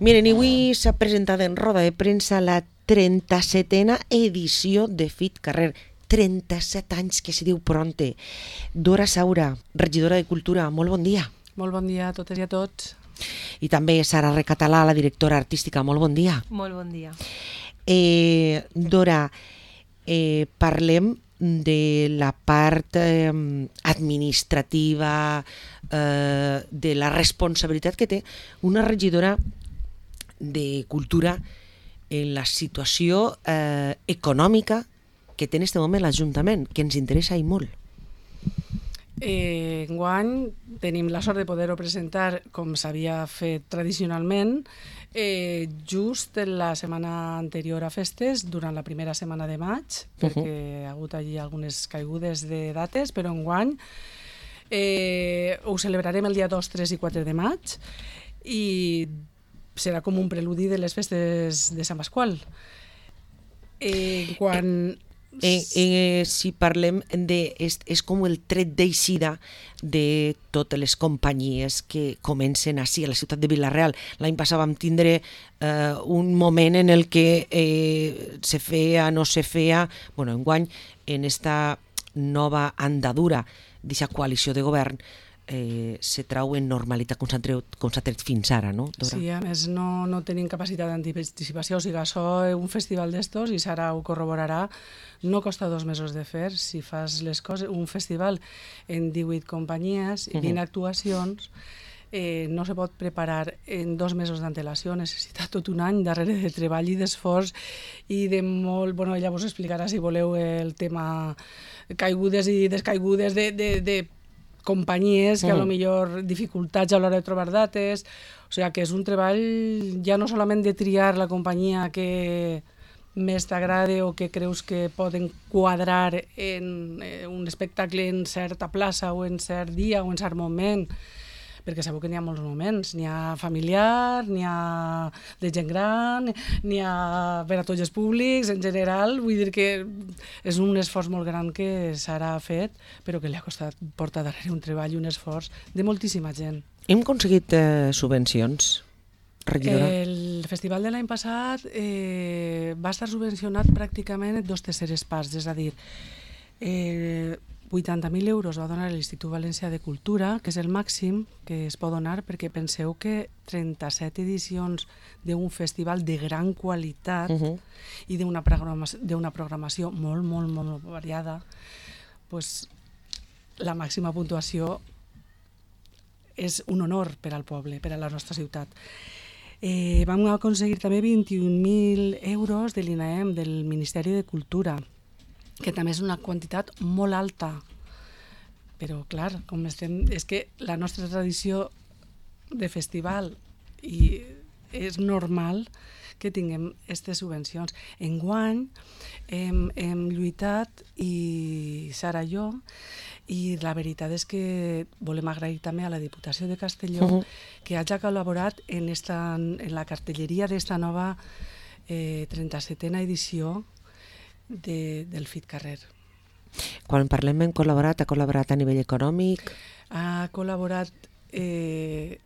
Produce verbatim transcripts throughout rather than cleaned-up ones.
Miren, avui s'ha presentat en roda de premsa la trenta-setena edició de Fit Carrer. trenta-set anys, que se diu pronte. Dora Saura, regidora de Cultura, molt bon dia. Molt bon dia a totes i a tots. I també Sara Recatalà, la directora artística, molt bon dia. Molt bon dia. Eh, Dora, eh, parlem de la part eh, administrativa, eh, de la responsabilitat que té una regidora de Cultura en la situació eh, econòmica que té en aquest moment l'Ajuntament, que ens interessa i molt. Eh, enguany tenim la sort de poder-ho presentar com s'havia fet tradicionalment, eh, just la setmana anterior a festes, durant la primera setmana de maig, perquè uh-huh. hi ha hagut allí algunes caigudes de dates, però enguany eh, ho celebrarem el dia dos, tres i quatre de maig i serà com un preludi de les festes de Sant Pasqual. Eh, quan... Eh, eh, si parlem de... És, és com el tret d'eixida de totes les companyies que comencen així a la ciutat de Vila-real. L'any passat vam tindre eh, un moment en el que eh, se feia, no se feia... Bueno, enguany, en esta nova andadura d'aquesta coalició de govern, Eh, se trau en normalitat com s'ha tret, com s'ha tret fins ara, no, Dora? Sí, a més no, no tenim capacitat d'anticipació, o sigui, això, un festival d'estos, i Sara ho corroborarà, no costa dos mesos de fer. Si fas les coses, un festival en divuit companyies i vint uh-huh. actuacions, eh, no se pot preparar en dos mesos d'antelació, necessita tot un any darrere de treball i d'esforç i de molt... Bueno, ella vos explicarà, si voleu, el tema caigudes i descaigudes de... de, de companyies que a lo millor dificultats a l'hora de trobar dates, o sigui que és un treball ja no solament de triar la companyia que més t'agrada o que creus que poden quadrar en un espectacle en certa plaça o en cert dia o en cert moment, perquè sabeu que n'hi ha molts moments, n'hi ha familiar, n'hi ha de gent gran, n'hi ha per a tots els públics, en general, vull dir que és un esforç molt gran que Sara ha fet, però que li ha costat portar darrere un treball i un esforç de moltíssima gent. Hem aconseguit eh, subvencions, regidora? El festival de l'any passat eh, va estar subvencionat pràcticament en dos terceres parts, és a dir, eh, vuitanta mil euros va donar l'Institut Valencià de Cultura, que és el màxim que es pot donar, perquè penseu que trenta-set edicions d'un festival de gran qualitat uh-huh. i d'una programació, d'una programació molt, molt, molt variada, pues, la màxima puntuació és un honor per al poble, per a la nostra ciutat. Eh, vam aconseguir també vint-i-un mil euros de l'I N A E M, del Ministeri de Cultura, que també és una quantitat molt alta, però clar, com estem, és que la nostra tradició de festival i és normal que tinguem aquestes subvencions. Enguany hem, hem lluitat, i Sara i jo, i la veritat és que volem agrair també a la Diputació de Castelló uh-huh. que hagi col·laborat en, esta, en la cartelleria d'esta nova eh, trenta-setena edició De, del Fit Carrer. Quan parlem en col·laborat, ha col·laborat a nivell econòmic? Ha col·laborat eh,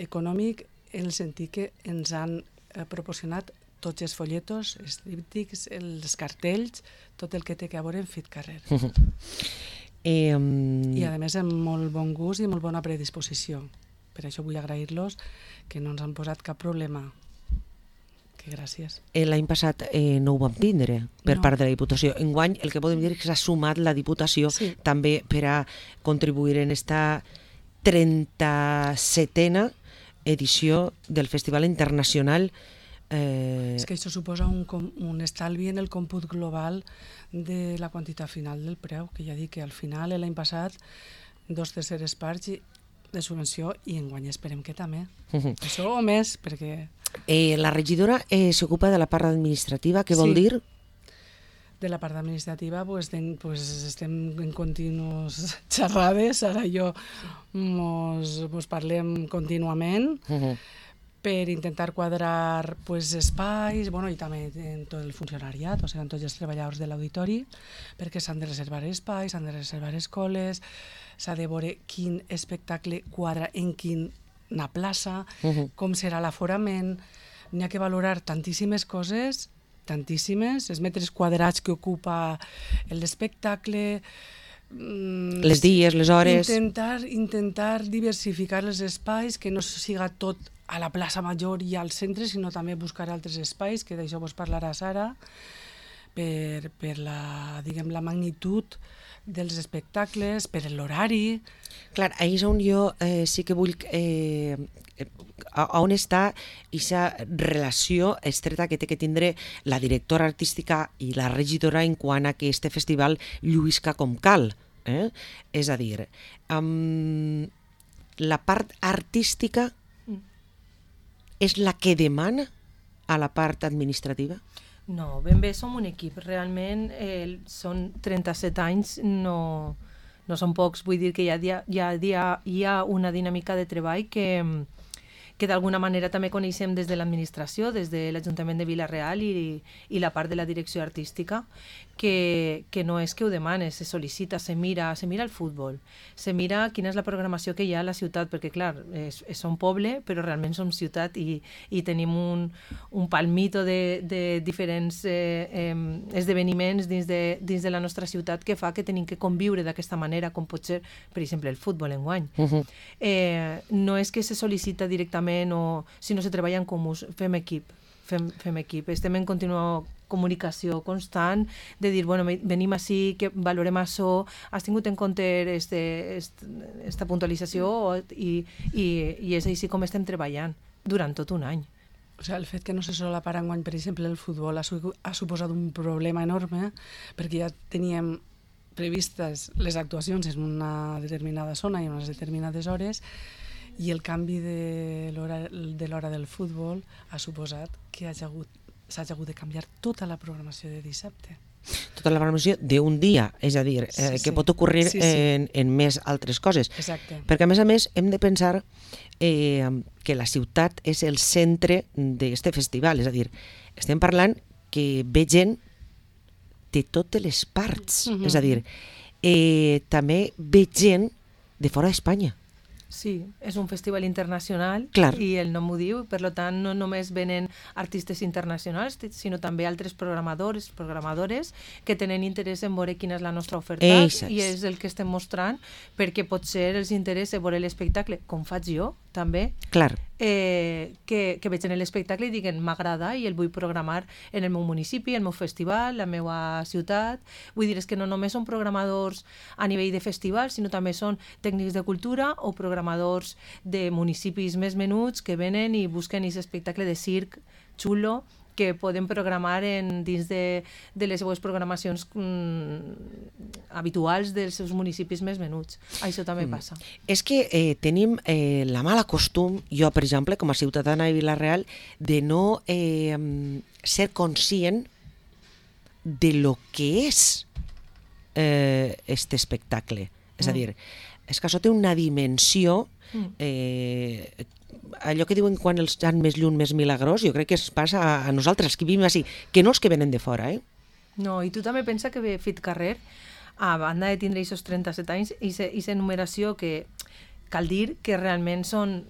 econòmic en el sentit que ens han eh, proporcionat tots els folletos, els tríptics, els cartells, tot el que té que veure en Fit Carrer. eh, um... I a més amb molt bon gust i molt bona predisposició. Per això vull agrair-los que no ens han posat cap problema. Gràcies. L'any passat eh, no ho vam tindre per no. part de la Diputació. Enguany el que podem dir és que s'ha sumat la Diputació sí. també per a contribuir en esta trenta-setena edició del Festival Internacional. Eh... És que això suposa un, un estalvi en el còmput global de la quantitat final del preu, que ja dic que al final l'any passat dos terceres parts de subvenció i enguany esperem que també. Uh-huh. Això o més, perquè... Eh, la regidora eh, s'ocupa de la part administrativa, què vol sí. dir? De la part administrativa pues, ten, pues, estem en continuos xerrades, ara i jo mos, mos parlem contínuament uh-huh. per intentar quadrar pues, espais, bueno, i també en tot el funcionariat, o sigui, en tots els treballadors de l'auditori, perquè s'han de reservar espais, s'han de reservar escoles, s'ha de veure quin espectacle quadra en quin una plaça, Uh -huh. com serà l'aforament, n'hi ha que valorar tantíssimes coses, tantíssimes, els metres quadrats que ocupa l'espectacle, les dies, les hores... Intentar, intentar diversificar els espais, que no siga tot a la plaça Major i al centre, sinó també buscar altres espais, que d'això vos parlarà Sara, per, per la, diguem, la magnitud dels espectacles, per l'horari... Clar, ahir és on jo eh, sí que vull... Eh, a on està aquesta relació estreta que té que tindre la directora artística i la regidora en quant a que este festival lluïsca com cal. Eh? És a dir, um, la part artística és la que demana a la part administrativa? No, ben bé som un equip. Realment eh, són trenta-set anys, no, no són pocs. Vull dir que hi ha, hi ha, hi ha, hi ha una dinàmica de treball que... que d'alguna manera també coneixem des de l'administració, des de l'Ajuntament de Vila-real i, i la part de la direcció artística, que, que no és que ho demane, se sol·licita, se mira, se mira el futbol, se mira quina és la programació que hi ha a la ciutat, perquè clar, és, és un poble, però realment som ciutat i, i tenim un, un palmito de, de diferents eh, eh, esdeveniments dins de, dins de la nostra ciutat que fa que tenim que conviure d'aquesta manera, com pot ser, per exemple, el futbol enguany. Uh -huh. eh, no és que se sol·licita directament o si no se treballa en comú, fem equip, fem, fem equip, estem en contínua comunicació constant de dir, bueno, venim així, que valorem això, has tingut en compte este, este, esta puntualització i, i, i és així com estem treballant durant tot un any. O sigui, el fet que no se solapara enguany, per exemple, el futbol ha, su ha suposat un problema enorme, perquè ja teníem previstes les actuacions en una determinada zona i en unes determinades hores, i el canvi de l'hora de l'hora del futbol ha suposat que s'ha hagut, hagut de canviar tota la programació de dissabte. Tota la programació d'un dia, és a dir, eh, sí, sí. que pot ocorrir sí, sí. En, en més altres coses. Exacte. Perquè, a més a més, hem de pensar eh, que la ciutat és el centre d'aquest festival, és a dir, estem parlant que ve gent de totes les parts, uh-huh. és a dir, eh, també ve gent de fora d'Espanya. Sí, és un festival internacional Clar. I el nom ho diu, per tant no només venen artistes internacionals, sinó també altres programadors, programadores que tenen interès en veure quina és la nostra oferta Exacte. I és el que estem mostrant perquè potser els interessa veure l'espectacle, com faig jo també, Clar. Eh, que, que veig en l'espectacle i diguen m'agrada i el vull programar en el meu municipi, el meu festival, la meva ciutat. Vull dir, és que no només són programadors a nivell de festival, sinó també són tècnics de cultura o programadors de municipis més menuts que venen i busquen aquest espectacle de circ xulo que poden programar en, dins de, de les seues programacions mm, habituals dels seus municipis més menuts. Això també mm. passa. És que eh, tenim eh, la mala costum, jo, per exemple, com a ciutadana de Vila-real, de no eh, ser conscient de lo que és eh, este espectacle. És a dir, és que això té una dimensió eh, allò que diuen quan els han més lluny, més milagrós, jo crec que es passa a, a nosaltres, que vivim així, que no els que venen de fora, eh? No, i tu també pensa que ve Fit Carrer, a banda de tindre aquests trenta-set anys, i aquesta enumeració que cal dir que realment són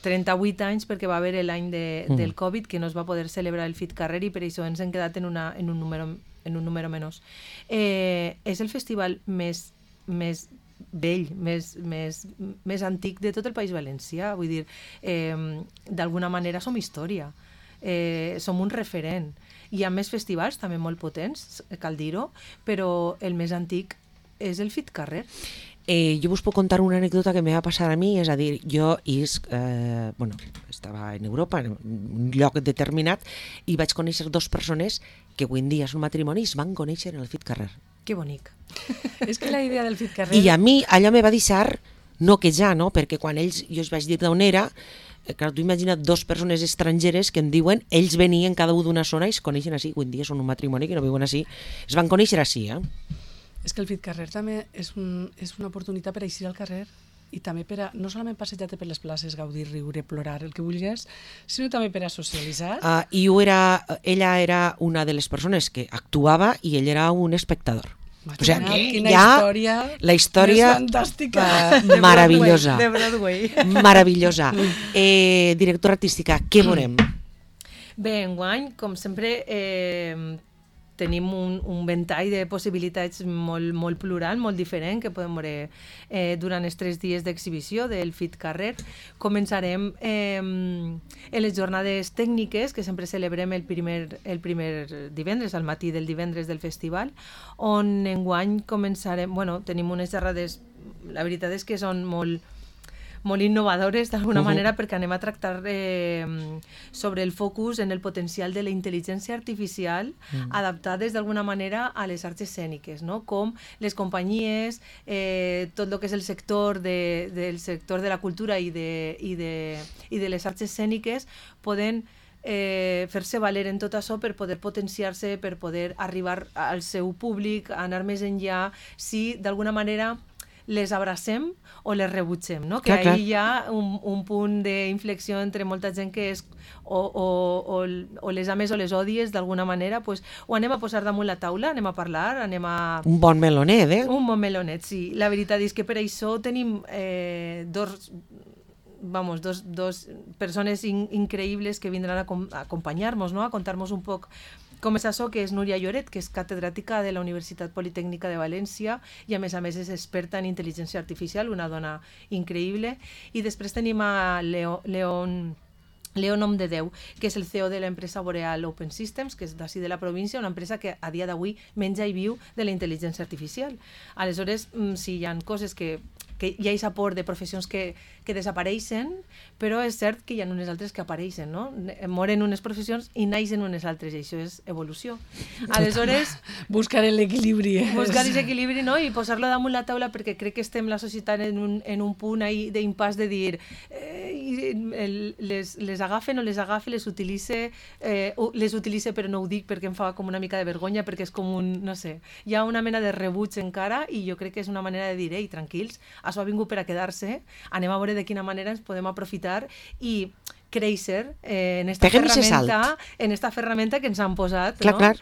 trenta-vuit anys perquè va haver l'any de, mm. del Covid que no es va poder celebrar el Fit Carrer i per això ens hem quedat en, una, en, un, número, en un número menys. Eh, és el festival més, més vell, més, més, més antic de tot el País Valencià. Vull dir, eh, d'alguna manera som història, eh, som un referent. Hi ha més festivals també molt potents, cal dir-ho, però el més antic és el Fit Carrer. Eh, jo us puc contar una anècdota que me va passar a mi, és a dir, jo is, eh, bueno, estava en Europa, en un lloc determinat, i vaig conèixer dos persones que avui en dia és un matrimoni i es van conèixer en el Fit Carrer. Que bonic. És que la idea del Fit Carrer... I a mi allò me va deixar no que ja, no? Perquè quan ells, jo els vaig dir d'on era, eh, clar, tu imagina't dos persones estrangeres que em diuen, ells venien cada un d'una zona i es coneixen així, avui en dia són un matrimoni que no viuen així, es van conèixer així, eh? És que el Fit Carrer també és, un, és una oportunitat per eixir al carrer i també per a, no solament passejar-te per les places, gaudir, riure, plorar, el que vulguis, sinó també per a socialitzar. Uh, I era, ella era una de les persones que actuava i ell era un espectador. O sigui, que Quina hi ha història la història més fantàstica. eh, meravellosa. De Broadway. Meravellosa. Eh, directora artística, què veurem? Bé, enguany, com sempre, eh, tenim un, un ventall de possibilitats molt, molt plural, molt diferent, que podem veure eh, durant els tres dies d'exhibició del Fit Carrer. Començarem eh, en les jornades tècniques, que sempre celebrem el primer, el primer divendres, al matí del divendres del festival, on enguany començarem, bueno, tenim unes xerrades, la veritat és que són molt molt innovadores d'alguna uh -huh. manera, perquè anem a tractar eh, sobre el focus en el potencial de la intel·ligència artificial uh -huh. adaptades d'alguna manera a les arts escèniques, no? Com les companyies, eh, tot el que és el sector de, del sector de la cultura i de, i de, i de les arts escèniques poden eh, fer-se valer en tot això per poder potenciar-se, per poder arribar al seu públic, anar més enllà, si d'alguna manera les abracem o les rebutgem, no? Que clar, ahí hi ha un, un punt d'inflexió entre molta gent que és o, o, o, o les ames o les odies d'alguna manera, pues, ho anem a posar damunt la taula, anem a parlar, anem a... Un bon melonet, eh? Un bon melonet, sí. La veritat és que per això tenim eh, dos... vamos, dos, dos persones in, increïbles que vindran a, com, a acompanyar-nos, no? A contar-nos un poc com és això, que és Núria Lloret, que és catedràtica de la Universitat Politècnica de València i a més a més és experta en intel·ligència artificial, una dona increïble. I després tenim a Leo, Leon... Leo Nomdedeu, que és el C E O de l'empresa Boreal Open Systems, que és d'ací de la província, una empresa que a dia d'avui menja i viu de la intel·ligència artificial. Aleshores, sí, hi ha coses que, que hi ha aquest aport de professions que, que desapareixen, però és cert que hi ha unes altres que apareixen, no? Moren unes professions i naixen unes altres, i això és evolució. Aleshores... Buscar l'equilibri. Eh? Buscar aquest equilibri, no? I posar-lo damunt la taula, perquè crec que estem la societat en un, en un punt d'impàs de dir eh, el, les, les agafen o les agafe, les utilitze, eh, les utilitze però no ho dic perquè em fa com una mica de vergonya, perquè és com un, no sé, hi ha una mena de rebuig encara i jo crec que és una manera de dir, ei, tranquils, això ha vingut per a quedar-se, anem a veure de quina manera ens podem aprofitar i créixer eh, en esta Peguem ferramenta, en esta ferramenta que ens han posat, clar, no? clar.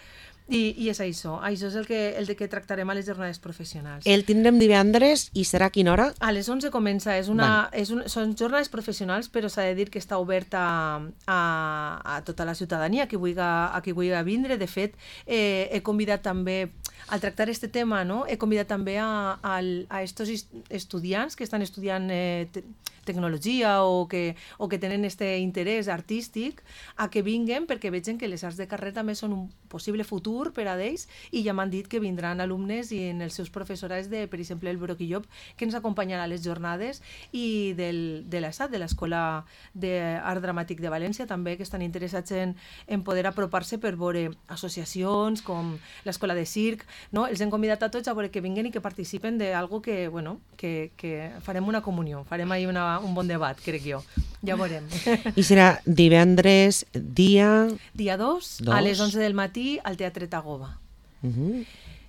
I, i és això, això és el que, el de que tractarem a les jornades professionals. El tindrem divendres i serà a quina hora? A les onze comença, és una, Vale. és un, són jornades professionals, però s'ha de dir que està oberta a, a, a tota la ciutadania, a qui vulgui, a qui vulgui vindre. De fet, eh, he convidat també, al tractar aquest tema, no? He convidat també a, a, a estos estudiants que estan estudiant eh, te, tecnologia o que, o que tenen este interès artístic a que vinguen, perquè vegin que les arts de carrer també són un possible futur per a d'ells, i ja m'han dit que vindran alumnes i en els seus professorats de, per exemple, el Broc i Llop, que ens acompanyaran a les jornades, i del, de l'ESAT, de l'Escola d'Art Dramàtic de València, també, que estan interessats en, en poder apropar-se per veure associacions com l'Escola de Circ, no? Els hem convidat a tots a veure que vinguen i que participen d'algo que, bueno, que, que farem una comunió, farem ahí una, un bon debat, crec jo. Ja veurem. I serà divendres, dia... Dia dos, Dos. a les onze del matí, al Teatre Tagoba. Uh -huh.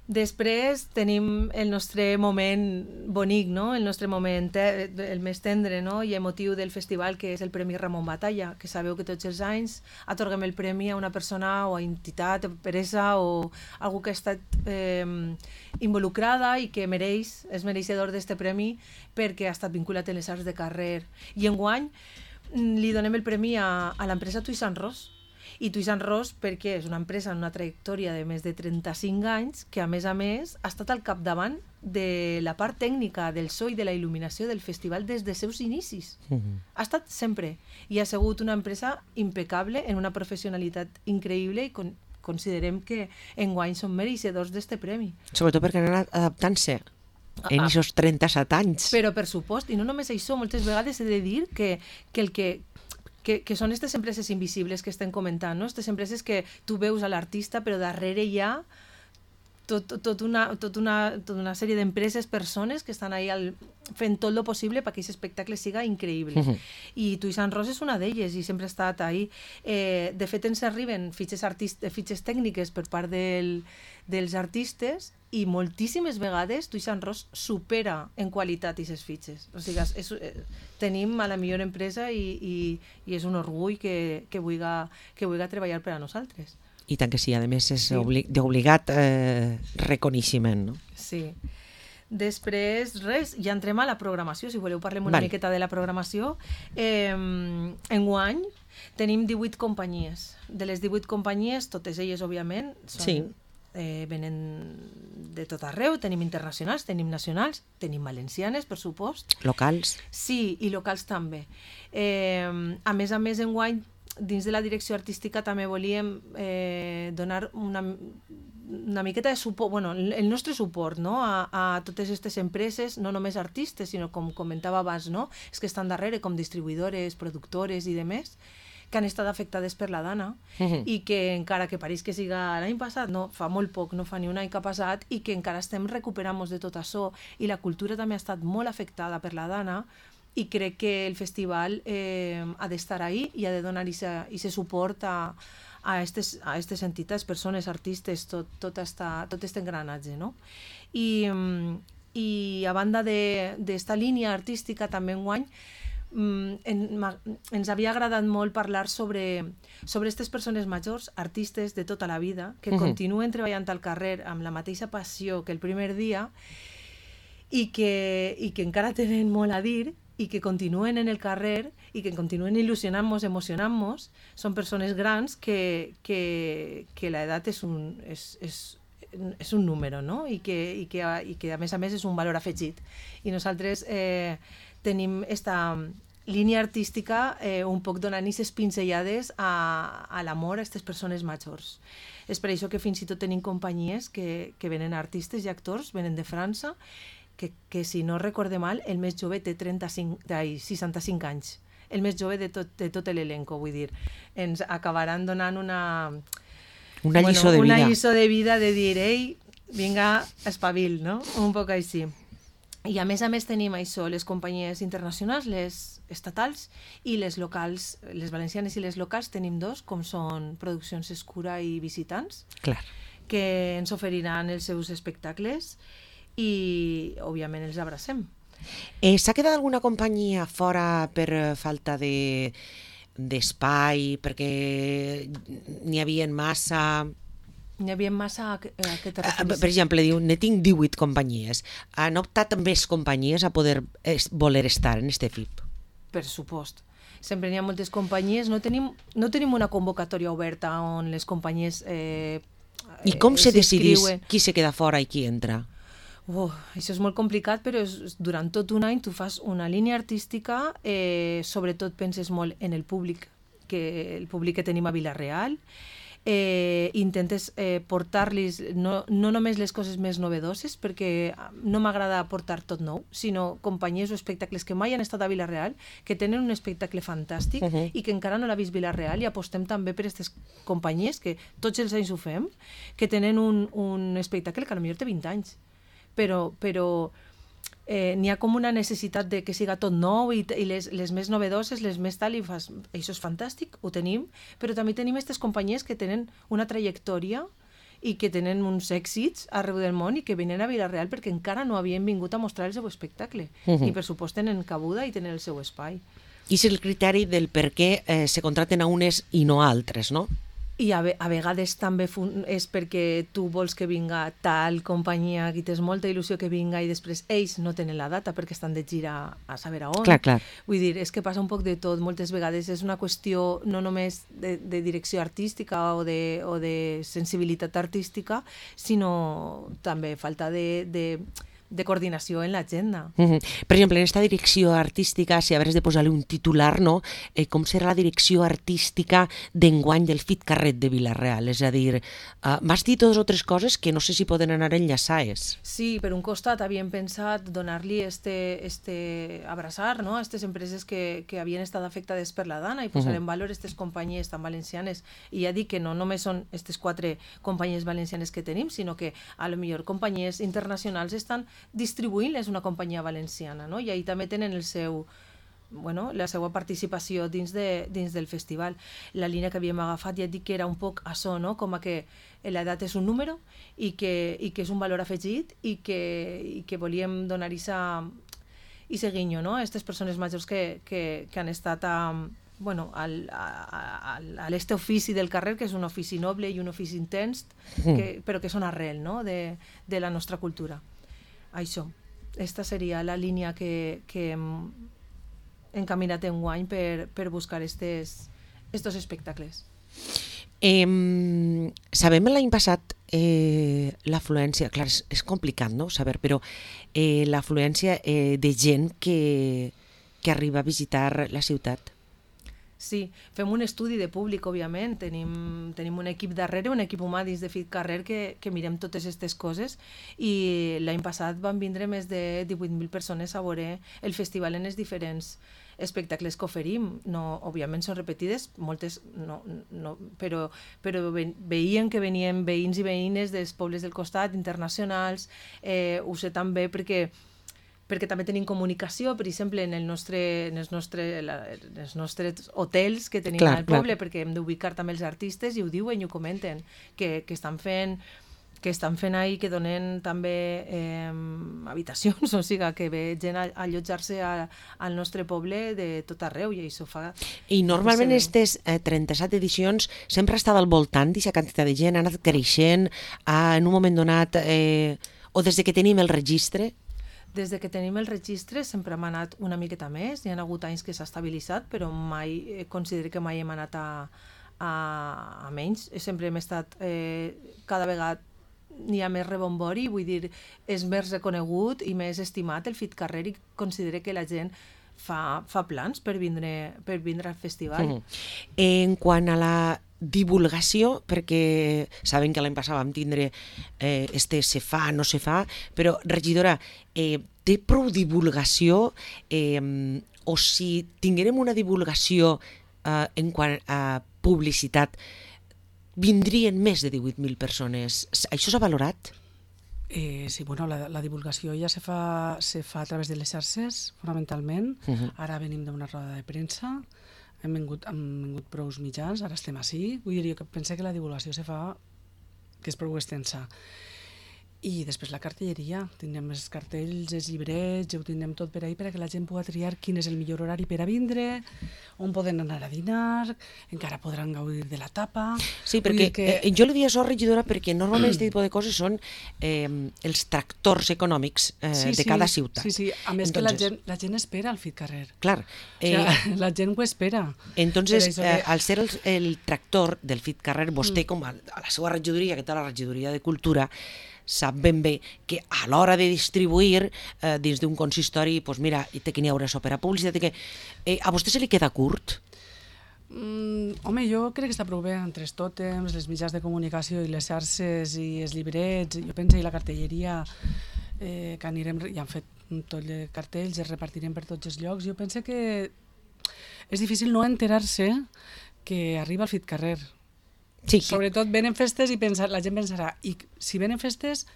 Després tenim el nostre moment bonic, no? El nostre moment te el més tendre, no? I emotiu del festival, que és el Premi Ramon Batalla, que sabeu que tots els anys atorguem el premi a una persona o a entitat, empresa o algú que ha estat eh, involucrada i que mereix, és mereixedor d'este premi perquè ha estat vinculat en les arts de carrer. I enguany li donem el premi a, a l'empresa Toisans Ros. I Toisans Ros perquè és una empresa amb una trajectòria de més de trenta-cinc anys que, a més a més, ha estat al capdavant de la part tècnica del so i de la il·luminació del festival des de seus inicis. Uh -huh. Ha estat sempre. I ha sigut una empresa impecable, en una professionalitat increïble, i con considerem que enguany són mereixedors d'este premi. Sobretot perquè han anat adaptant-se en aquests trenta-set anys. Però, per supost, i no només això, moltes vegades he de dir que, que el que Que, que són aquestes empreses invisibles que estem comentant, no? Aquestes empreses que tu veus a l'artista, però darrere hi ha tot, tot, una, tot, una, tot una sèrie d'empreses, persones que estan ahí al, fent tot el possible perquè aquest espectacle siga increïble. Uh -huh. I Toisans Ros és una d'elles i sempre ha estat ahí. Eh, de fet, ens arriben fitxes, fitxes tècniques per part del, dels artistes, i moltíssimes vegades Toisans Ros supera en qualitat aquestes fitxes. O sigui, és, és, tenim a la millor empresa i, i, i és un orgull que, que vulgui, que vulgui treballar per a nosaltres. I tant que sí, a més és Sí. obli d'obligat eh, reconeixement, no? Sí. Després, res, ja entrem a la programació, si voleu parlem una Vale. miqueta de la programació. Eh, enguany tenim divuit companyies. De les divuit companyies, totes elles, òbviament, són, Sí. eh, venen de tot arreu, tenim internacionals, tenim nacionals, tenim valencianes, per supost. Locals. Sí, i locals també. Eh, a més a més, enguany, dins de la direcció artística també volíem eh, donar una, una miqueta de suport, bueno, el nostre suport, no? a, a totes aquestes empreses, no només artistes, sinó com comentava abans, no? és que estan darrere com distribuïdores, productores i demés, que han estat afectades per la Dana Mhm. i que encara que pareix que siga l'any passat, no, fa molt poc, no fa ni un any que ha passat, i que encara estem recuperant-nos de tot això, i la cultura també ha estat molt afectada per la Dana, i crec que el festival eh, ha d'estar ahí i ha de donar aquest suport a, a estes, a estes entitats, persones, artistes, tot, tot, esta, tot este engranatge, no? I, mm, i a banda d'esta línia artística també enguany mm, en, ma, ens havia agradat molt parlar sobre sobre aquestes persones majors, artistes de tota la vida, que Mhm. continuen treballant al carrer amb la mateixa passió que el primer dia i que, i que encara tenen molt a dir i que continuen en el carrer i que continuen il·lusionant-nos, emocionant-nos. Són persones grans que, que, que l'edat és un, és, és, és un número, no? I que, i, que, i que a més a més és un valor afegit. I nosaltres eh, tenim esta línia artística eh, un poc donant aquestes pinzellades a, a l'amor a aquestes persones majors. És per això que fins i tot tenim companyies que, que venen artistes i actors, venen de França, que, que si no recorde mal, el més jove té trenta-cinc, ai, seixanta-cinc anys. El més jove de tot, de tot l'elenco, vull dir. Ens acabaran donant una... Una lliçó de vida. Una lliçó de vida de dir, ei, vinga, espavil, no? Un poc així. I a més a més tenim això, les companyies internacionals, les estatals i les locals, les valencianes i les locals tenim dos, com són Produccions Escura i Visitants, Clar. que ens oferiran els seus espectacles i, òbviament, els abracem. Eh, S'ha quedat alguna companyia fora per eh, falta de d'espai, perquè n'hi havia massa... N'hi havia massa a què a què te Ah, referis? Per exemple, diu, ne tinc divuit companyies. Han optat més companyies a poder es, voler estar en este F I P? Per supost. Sempre n'hi ha moltes companyies. No tenim, no tenim una convocatòria oberta on les companyies eh, I com eh, se decidís s'inscriuen. qui se queda fora i qui entra? Oh, això és molt complicat, però és, durant tot un any tu fas una línia artística, eh, sobretot penses molt en el públic, que el públic que tenim a Vila-real, eh, intentes eh, portar-los no, no només les coses més novedoses, perquè no m'agrada portar tot nou, sinó companyies o espectacles que mai han estat a Vila-real, que tenen un espectacle fantàstic Uh-huh. i que encara no l'ha vist Vila-real, i apostem també per aquestes companyies, que tots els anys ho fem, que tenen un, un espectacle que potser té vint anys, però, però eh, n'hi ha com una necessitat de que siga tot nou i, i les, les més novedoses, les més tal, i fas, això és fantàstic, ho tenim, però també tenim aquestes companyies que tenen una trajectòria i que tenen uns èxits arreu del món i que venen a Vila-real perquè encara no havien vingut a mostrar el seu espectacle. Mhm. I per supost tenen cabuda i tenen el seu espai. I és el criteri del per què eh, se contraten a unes i no a altres, no? I a, ve a vegades també és perquè tu vols que vinga tal companyia que tens molta il·lusió que vinga i després ells no tenen la data perquè estan de gira a saber a on. Clar, clar. Vull dir, és que passa un poc de tot. Moltes vegades és una qüestió no només de, de direcció artística o de, o de sensibilitat artística, sinó també falta de... de de coordinació en l'agenda. Uh -huh. Per exemple, en aquesta direcció artística, si hagués de posar-li un titular, no? Eh, com serà la direcció artística d'enguany del F I T Carret de Vila-real? És a dir, uh, m'has dit dues o tres coses que no sé si poden anar enllaçades. Sí, per un costat havíem pensat donar-li este, este abraçar, no?, a aquestes empreses que, que havien estat afectades per la Dana i posar uh -huh. en valor aquestes companyies tan valencianes. I ja dic que no només són aquestes quatre companyies valencianes que tenim, sinó que a lo millor companyies internacionals estan distribuint és una companyia valenciana, no? I ahí també tenen el seu, bueno, la seva participació dins, de, dins del festival. La línia que havíem agafat ja dic que era un poc això, no? Com a que l'edat és un número i que, i que és un valor afegit i que, i que volíem donar-hi i seguinyo, no? A aquestes persones majors que, que, que han estat a, bueno, al, a, a, a l'este ofici del carrer, que és un ofici noble i un ofici intens, que, però que són arrel, no?, de, de la nostra cultura. Això, esta seria la línia que, que hem encaminat enguany per, per buscar estes, estos espectacles. Eh, sabem l'any passat eh, l'afluència, clar, és, és complicat, no?, saber, però eh, l'afluència eh, de gent que, que arriba a visitar la ciutat. Sí, fem un estudi de públic, òbviament, tenim, tenim un equip darrere, un equip humà dins de FitCarrer que, que mirem totes aquestes coses, i l'any passat van vindre més de divuit mil persones a veure el festival en els diferents espectacles que oferim. No, òbviament són repetides, moltes no, no, però, però veien que venien veïns i veïnes dels pobles del costat, internacionals, eh, ho sé també perquè perquè també tenim comunicació, per exemple, en, el nostre, en, els, nostre, la, en els nostres hotels que tenim clar, al poble, clar. Perquè hem d'ubicar també els artistes i ho diuen i ho comenten, que, que estan fent que estan fent ahí, que donen també eh, habitacions, o sigui, que ve gent a, a allotjar-se a, al nostre poble de tot arreu, i això fa... I normalment aquestes eh, trenta-set edicions sempre ha estat al voltant d'aquesta quantitat de gent, ha anat creixent, ha, en un moment donat, eh, o des de que tenim el registre... Des de que tenim el registre sempre hem anat una miqueta més, hi ha hagut anys que s'ha estabilitzat, però mai, considero que mai hem anat a, a, a menys, sempre hem estat eh, cada vegada n'hi ha més rebombori, vull dir, és més reconegut i més estimat el FitCarrer, i considero que la gent fa, fa plans per vindre, per vindre al festival. Mm. En quant a la divulgació, perquè saben que l'any passat vam tindre eh, este se fa, no se fa, però, regidora, eh, té prou divulgació, eh, o si tinguérem una divulgació eh, en quant a publicitat, vindrien més de divuit mil persones. Això s'ha valorat? Eh, sí, bueno, la, la divulgació ja se fa, se fa a través de les xarxes, fonamentalment. Uh-huh. Ara venim d'una roda de premsa, hem vingut, hem vingut prous mitjans, ara estem així. Vull dir, jo penso que la divulgació se fa, que és prou extensa. I després la cartelleria, tindrem els cartells, els llibrets, ho tindrem tot per ahí perquè la gent pugui triar quin és el millor horari per a vindre, on poden anar a dinar, encara podran gaudir de la tapa... Sí, perquè que... eh, jo li dic això, regidora, perquè normalment aquest tipus de coses són eh, els tractors econòmics eh, sí, de cada sí, ciutat. Sí, sí, a més Entonces, que la gent, la gent espera el FitCarrer. Clar. Eh, o sea, la gent ho espera. Entonces, que... eh, al ser el, el tractor del FitCarrer, vostè, mm. com a, a la seva regidoria, que té la regidoria de Cultura, sap ben bé que a l'hora de distribuir eh, dins d'un consistori, doncs mira, té que n'hi haurà per a publicitat, que eh, a vostè se li queda curt? Mm, home, jo crec que està prou bé entre els tòtems, les mitjans de comunicació i les xarxes i els llibrets, jo penso, i la cartelleria, eh, que anirem, ja han fet tot de cartells, els repartirem per tots els llocs. Jo penso que és difícil no enterar-se que arriba el FitCarrer. Sí, que... Sobretot venen festes i pensar, la gent pensarà, i si venen festes,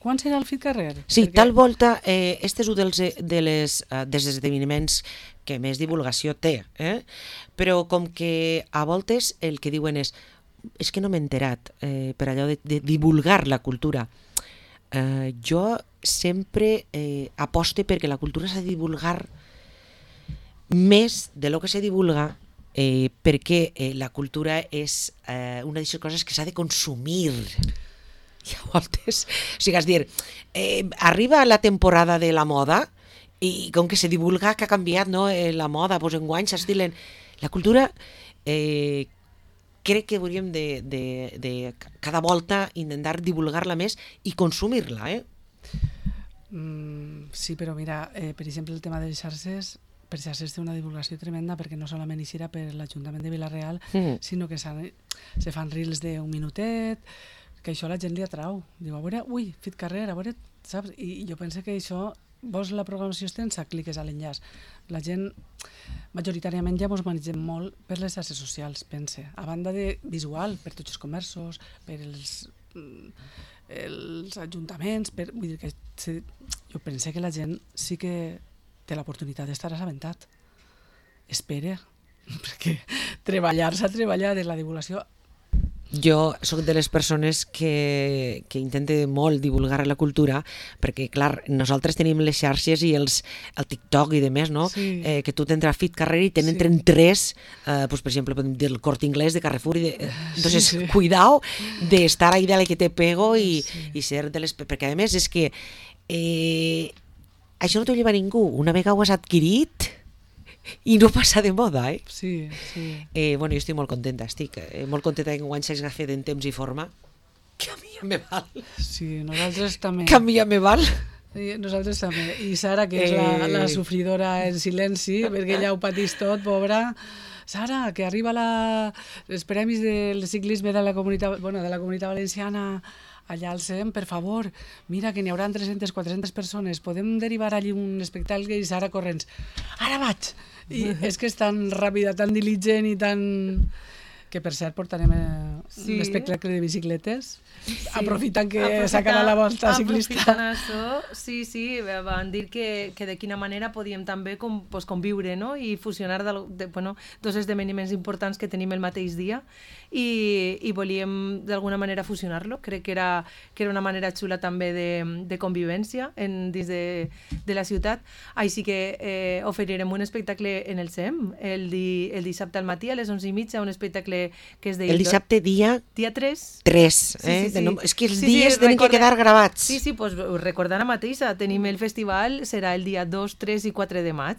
quan serà el FitCarrer? Sí, Perquè... tal volta, eh, este és un dels, de les, uh, dels esdeveniments que més divulgació té, eh? Però com que a voltes el que diuen és és que no m'he enterat eh, per allò de, de divulgar la cultura. Eh, jo sempre eh, aposte perquè la cultura s'ha de divulgar més de lo que se divulga, Eh, perquè eh, la cultura és eh, una d'aquestes coses que s'ha de consumir. I a voltes, o sigui, és dir, eh, arriba la temporada de la moda i com que se divulga que ha canviat, no, eh, la moda, doncs enguany s'estilen. La cultura eh, crec que hauríem de, de, de cada volta intentar divulgar-la més i consumir-la, eh? Mm, sí, però mira, eh, per exemple, el tema de les xarxes, per xarxes té una divulgació tremenda perquè no solament hi serà per l'Ajuntament de Vila-real, mm. sinó que se fan reels d'un minutet, que això a la gent li atrau. Diu, a veure, ui, FitCarrer, a veure, saps? I jo penso que això, vols la programació extensa, cliques a l'enllaç. La gent, majoritàriament, ja mos manegem molt per les xarxes socials, pense. A banda de visual, per tots els comerços, per els, els ajuntaments, per, vull dir que jo penso que la gent sí que té l'oportunitat d'estar assabentat. Espera, perquè treballar s'ha treballat en la divulgació Jo sóc de les persones que, que intente molt divulgar la cultura, perquè, clar, nosaltres tenim les xarxes i els, el TikTok i demés, no? Sí. Eh, que tu t'entres a Fit Carrera i tenen Sí. tres, eh, pues, per exemple, podem dir el Corte Inglés de Carrefour. I de, eh, entonces, Sí, sí. cuidao de estar ahí de la que te pego i, Sí. i ser de les... Perquè, a més, és que eh, això no t'ho lleva ningú. Una vegada ho has adquirit i no passa de moda, eh? Sí, sí. Eh, bueno, jo estic molt contenta, estic eh, molt contenta que enguany s'hagi fet en temps i forma. Que a mi ja me val. Sí, nosaltres també. Que a mi ja me val. I nosaltres també. I Sara, que és la, Eh. la sofridora en silenci, perquè ella ho patís tot, pobra. Sara, que arriba la, els premis del ciclisme de la comunitat, bueno, de la comunitat valenciana allà al C E M, per favor, mira que n'hi haurà tres-centes quatre-centes persones, podem derivar allí un espectacle? I Sara corrents, ara vaig! I és que és tan ràpida, tan diligent i tan... que per cert portarem eh, Sí. un espectacle de bicicletes, Sí. aprofitant que Aprofitar- s'acaba la volta ciclista. aprofitant això, sí, sí, van dir que, que de quina manera podíem també com, pues, conviure, no? I fusionar de, de, bueno, dos esdeveniments importants que tenim el mateix dia i, i volíem d'alguna manera fusionar-lo. Crec que era, que era una manera xula també de, de convivència en, dins de, de la ciutat. Així que eh, oferirem un espectacle en el C E M el, di, el dissabte al matí a les onze i mitja, un espectacle que és de... El dissabte dia Dia tres. tres. Sí, Eh? sí, De sí. no, és que els Sí, sí, dies tenen recorda- que quedar gravats. Sí, sí, pues recordar la mateixa. Tenim el festival, serà el dia dos, tres i quatre de maig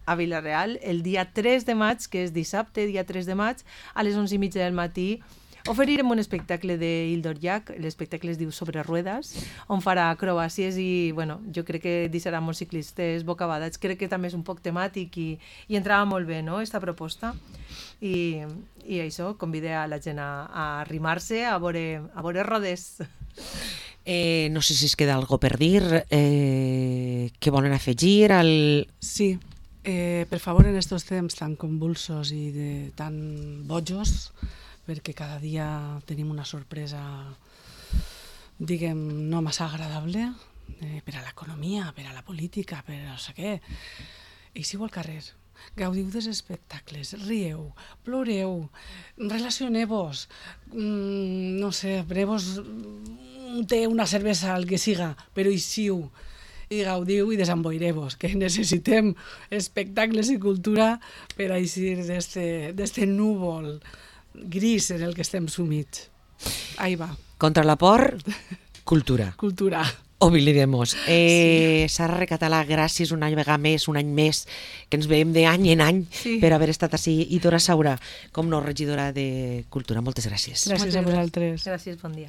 a Vila-real. El dia tres de maig, que és dissabte, dia tres de maig, a les onze i mitja del matí, oferirem un espectacle de Hildor Llach, l'espectacle es diu Sobre Ruedas, on farà acrobàcies i, bueno, jo crec que deixarà molts ciclistes bocabadats. Crec que també és un poc temàtic i, i entrava molt bé, no?, esta proposta. I, i això, convide a la gent a, a arrimar-se a veure, a veure rodes. Eh, no sé si es queda algo per dir. Eh, què volen afegir? Al... Sí, eh, per favor, en estos temps tan convulsos i de tan bojos, perquè cada dia tenim una sorpresa, diguem, no massa agradable, eh, per a l'economia, per a la política, per a no sé què. Eixiu al carrer, gaudiu dels espectacles, rieu, ploreu, relacioneu-vos, mm, no sé, preneu-vos un té, una cervesa, el que siga, però eixiu i gaudiu i desemboireu-vos, que necessitem espectacles i cultura per a eixir d'este núvol gris en el que estem sumits. Ahí va, Contra la por, cultura. cultura. Oblidemos. Eh, sí. Sara Recatalà, gràcies un any vegada més, un any més, que ens veiem d'any en any Sí. per haver estat així. I Dora Saura, com no, regidora de Cultura. Moltes gràcies. Gràcies a vosaltres. Gràcies, bon dia.